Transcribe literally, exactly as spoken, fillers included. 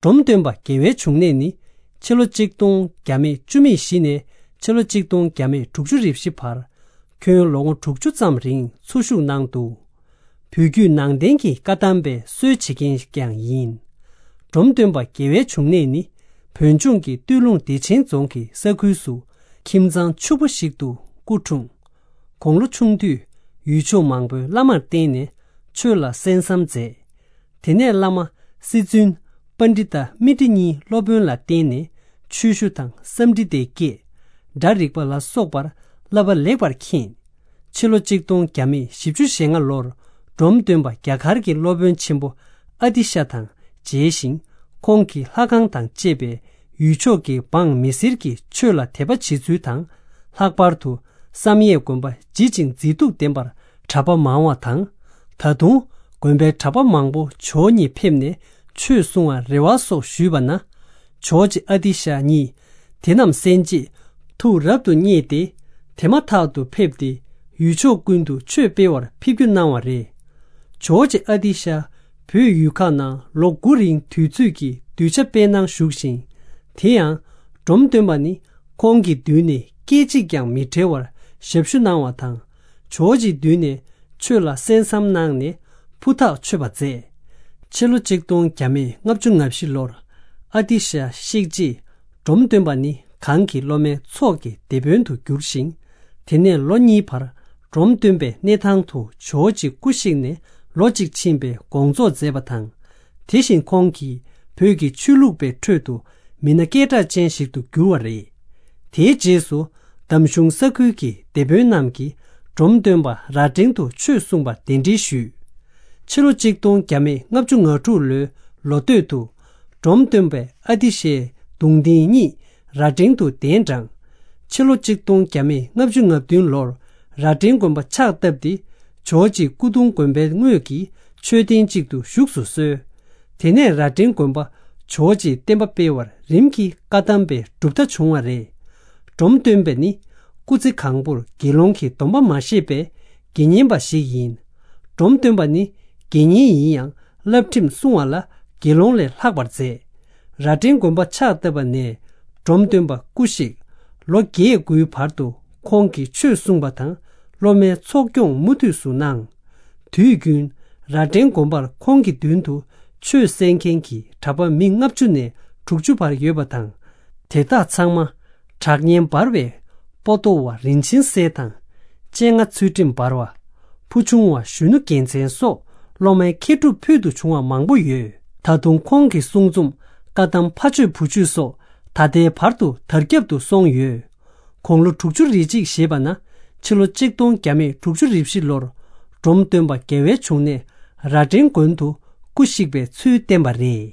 འབྲོམ་སྟོན་པ་རྒྱལ་བའི་འབྱུང་གནས་ནི། ཕྱི་ལོ་གཅིག་སྟོང་བརྒྱ་མེད་བཅུ་མེད་བཞི་ནས་ཕྱི་ལོ་གཅིག་སྟོང་བརྒྱ་མེད་དྲུག་ཅུ་རེ་བཞི་བར། ཁྱོན་ལོ་ངོ་དྲུག་ཅུ་ཙམ་རིང་འཚོ་བཞུགས་གནང་འདུག། བོད་བརྒྱུད་ནང་བསྟན་གྱི་བཀའ་གདམས་པའི་སྲོལ་འབྱེད་མཁན་ཞིག་ཀྱང་ཡིན། འབྲོམ་སྟོན་པ་རྒྱལ་བའི་འབྱུང་གནས་ནི། བོད་ལྗོངས་ཀྱི་སྟོད་ལུང་བདེ་ཆེན་རྫོང་གི་ས་ཁུལ་སུ། ཁྱིམ་ཚང་ཕྱུག་པོ་ཞིག་ཏུ་སྐུ་འཁྲུངས། དགུང་ལོ་ཆུང་དུས་ཡུལ་ཕྱོགས་མང་པོའི་བླ་མར་བསྟེན་ནས་ཆོས་ལ་གསན་བསམ་མཛད། དེ་ནས་བླ་མ་སྲིད་བཙུན་པཎྜི་ཏ་མཻ་ཏྲི་གཉིས་སློབ་དཔོན་ལ་བསྟེན་ནས་ཆོས་ཞུ་དང་སཾ་ཌྷི་ཏའི་བསྐྱེད། སྒྲ་རིག་པ་ལ་སོགས་པར་བསླབ་པ་ལེགས་པར་མཁྱེན། ཕྱི་ལོ་གཅིག་སྟོང་བརྒྱ་མེད་བཞི་བཅུ་ཞེ་ལྔ་ལོར་འབྲོམ་སྟོན་པ་རྒྱ་གར་གྱི་སློབ་དཔོན་ཆེན་པོ་ཨ་ཏི་ཤ་དང་མཇལ་ཞིང་། ཁོང་གིས་ལྷ་ཁང་དང་བཅས་པའི་ཡུལ་ཕྱོགས་ཀྱི་འབངས་མི་སེར་གྱི་ཆོས་ལ་དད་པ་བྱེད་ཚུལ་དང་། ལྷག་པར་དུ་བསམ་ཡས་དགོན་པ་ལྗིད་ཅིང་མཛེས་སྡུག་ལྡན་པར་གྲྭ་པ་མང་བ་དང་། ད་དུང་དགོན་པའི་གྲྭ་པ་མང་པོ་ཇོ་བོ་ཉིད་ཕེབས་ནས་ཆོས་གསུང་བར་རེ་བ་སོགས་ཞུས་པ་ན། ཇོ་བོ་རྗེ་ཨ་ཏི་ཤ་ཉིད་དེ་རྣམས་གསན་རྗེས་ཐུགས་རབ་ཏུ་མཉེས་ཏེ། དེ་མ་ཐག་ཏུ་ཕེབས་ཏེ་ཡུལ་ཕྱོགས་ཀུན་ཏུ་ཆོས་སྤེལ་བར་ཕེབས་རྒྱུ་གནང་བ་རེད། ཇོ་བོ་རྗེ་ཨ་ཏི་ཤ་བོད་ཡུལ་ཁག་ནང་ལོ་དགུ་རིང་དུས་ཚོད་ཀྱི་གདུལ་བྱ་སྤེལ་གནང་བཞུགས་ཤིང་། དེ་ཡང་འབྲོམ་སྟོན་པ་ནི་ཁོང་གི་མདུན་ནས་སྐད་ཅིག་ཀྱང་མི་བྲལ་བར་ཞབས་ཞུ་གནང་བ་དང་། ཇོ་བོ་རྗེའི་མདུན་ནས་ཆོས་ལ་གསན་བསམ་གནང་ནས་ཕུ་ཐག་ཆོད་པ་མཛད། ཕྱི་ལོ་གཅིག་སྟོང་བརྒྱ་མེད་ལྔ་བཅུ་ང་བཞི་ལོར་ཨ་ཏི་ཤ་གཤེགས་རྗེས། འབྲོམ་སྟོན་པ་ནི་གང་གི་སློབ་མའི་ཚོགས་ཀྱི་སྡེ་དཔོན་དུ་གྱུར་ཞིང་། དེ་ནས་ལོ་གཉིས་བར་འབྲོམ་སྟོན་པའི་གནས་ཐང་དུ་ཇོ་བོ་རྗེ་སྐུ་གཤེགས་ནས་ལོ་གཅིག་ཕྱིན་པའི་དགོངས་རྫོགས་མཛད་པ་དང་། དེ་བཞིན་ཁོང་གིས་བོད་ཀྱི་ཆོས་ལུགས་པའི་ཁྲོད་དུ་མི་སྣ་སྐད་གྲགས་ཅན་ཞིག་ཏུ་གྱུར་བ་རེད། དེའི་རྗེས་སུ་འདམ་གཞུང་ས་ཁུལ་གྱི་སྡེ་དཔོན་རྣམས་ཀྱིས་འབྲོམ་སྟོན་པ་རྭ་སྒྲེང་དུ་ཆོས་གསུངས་པར་གདན་འདྲེན་ཞུས། ཕྱི་ལོ་གཅིག་སྟོང་བརྒྱ་མེད་ལྔ་བཅུ་ང་དྲུག་ལོའི་ལོ་སྟོད་དུ་འབྲོམ་སྟོན་པའི་ཨ་ཏི་ཤའི་གདུང་རྟེན་གཉིས་རྭ་སྒྲེང་དུ་གདན་དྲངས། ཕྱི་ལོ་གཅིག་སྟོང་བརྒྱ་མེད་ལྔ་བཅུ་ང་བདུན་ལོར་རྭ་སྒྲེང་དགོན་པ་ཕྱག་བཏབ་སྟེ། ཇོ་བོ་རྗེ་སྐུ་གདུང་དགོན་པའི་དངོས་ཀྱི་མཆོད་རྟེན་གཅིག་ཏུ་བཞུགས་སུ་གསོལ། དེ་ནས་རྭ་སྒྲེང་དགོན་པ་ཇོ་བོ་རྗེས་བསྟན་པ་སྤེལ་བར་རིམ་གྱིས་བཀའ་གདམས་པའི་གྲུབ་མཐའ་བྱུང་བ་རེད། འབྲོམ་སྟོན་པ་ནི་སྐུ་ཚེ་གང་པོར་དགེ་སློང་གི་སྡོམ་པ་མ་བཞེས་པའི་དགེ་བསྙེན་པ་ཞིག་ཡིན། འབྲོམ་སྟོན་པ་ནི་དགེ་བསྙེན་ཡིན་ཡང་བསླབ་ཁྲིམས་བསྲུང་བ་ལ་དགེ་སློང་ལས་ལྷག་པར་མཛད། རྭ་སྒྲེང་དགོན་པ་ཕྱག་བཏབ་པ་ནས་འབྲོམ་སྟོན་པ་སྐུ་གཤེགས་ལོ་བརྒྱད་དགུའི་བར་དུ་ཁོང་གིས་ཆོས་གསུངས་པ་དང་སློབ་མའི་འཚོ་སྐྱོང་མུ་མཐུད་སུ་གནང་། དུས་རྒྱུན་རྭ་སྒྲེང་དགོན་པར་ཁོང་གི་མདུན་དུ་ཆོས་གསན་མཁན་གྱི་གྲྭ་པ་མི་ལྔ་བཅུ་ནས་དྲུག་ཅུ་བར་ཡོད་པ་དང་། དེ་དག་ཚང་མ་གྲགས་སྙན་འབར་བའི་པོ་ཏོ་བ་རིན་ཆེན་གསེར་དང་། སྤྱན་སྔ་ཚུལ་ཁྲིམས་འབར་བ། ཕུ་ཆུང་བ་གཞོན་ནུ་རྒྱལ་མཚན་སོགས་སློབ་མའི་མཁས་གྲུབ་ཕུལ་དུ་བྱུང་བ་མང་པོ་ཡོད། ད་དུང་ཁོང་གི་གསུང་རྩོམ་བཀའ་གདམས་ཕ་ཆོས་བུ་ཆོས་སོགས་ད་ལྟའི་བར་དུ་དར་ཁྱབ་ཏུ་སོང་ཡོད། དགུང་ལོ་དྲུག་ཅུ་རེ་གཅིག་བཞེས་པ་ན་ཕྱི་ལོ་གཅིག་སྟོང་བརྒྱ་མེད་དྲུག་ཅུ་རེ་བཞི་ལོར་འབྲོམ་སྟོན་པ་རྒྱལ་བའི་འབྱུང་གནས་རྭ་སྒྲེང་དགོན་དུ་སྐུ་གཤེགས་པའི་ཚུལ་བསྟན་པ་རེད།